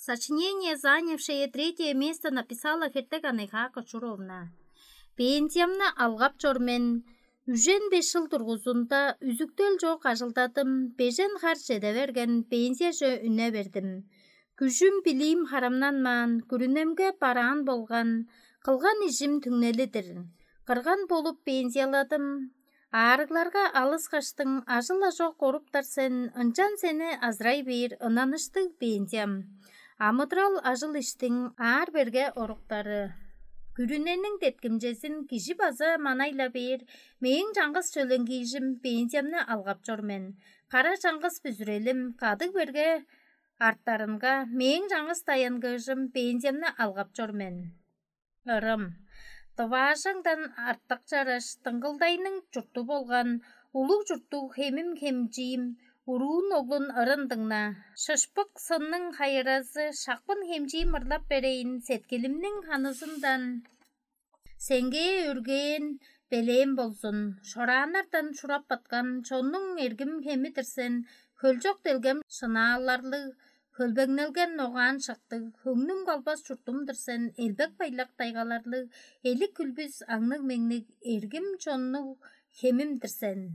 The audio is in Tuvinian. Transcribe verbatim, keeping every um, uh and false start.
Сочинение, занявшее третье место, написала Хертек Анайхаа Кочуровна. Пенсиямны алгап чор мен. Үжен беш чыл тургузунда үзүктел чок ажылдадым, бежен хар чеде берген, пенсияже үне бердим. Күжүм билиим харамнанмаан, күрүнемге бараан болган, кылган ижим түңнелидир. Кырган болуп пенсияладым. Аарыгларга алыскаштың, ажыл-ажок оруптар сен, ынчан сени азырай бээр ынаныштыг пенсиям. Амыдырал ажыл иштиң аар берге оруктары. Күрүнениң деткимчезин кижи база манайла бээр, мээң чаңгыс чөленгиижим пенсиямны алгап чор мен. Кара чаңгыс бүзүрелим кадыг берге арттарынга, мээң чаңгыс даянгыыжым пенсиямны алгап чор мен. Ырым. Дываажаңдан артык чараш дыңгылдайның чурту болган улуг чурттуг хемим хемчиим, уруун оглун ырын дыңна. Шышпык сынның хайыразы шакпын хемчиим ырлап берейин сеткилимниң ханызындан. Сеңгээ өргээн белээм болзун, шорааннардан шурап баткан чоннуң эргим хеми-дир сен, хөлчок делгем шынааларлыг, хөлбеңнелген ногаан шыктыг, хөңнүм калбас чуртум-дур сен, элбек байлак тайгаларлыг, элик хүлбүс аңныг-меңниг, эргим чоннуг хемим-дир сен.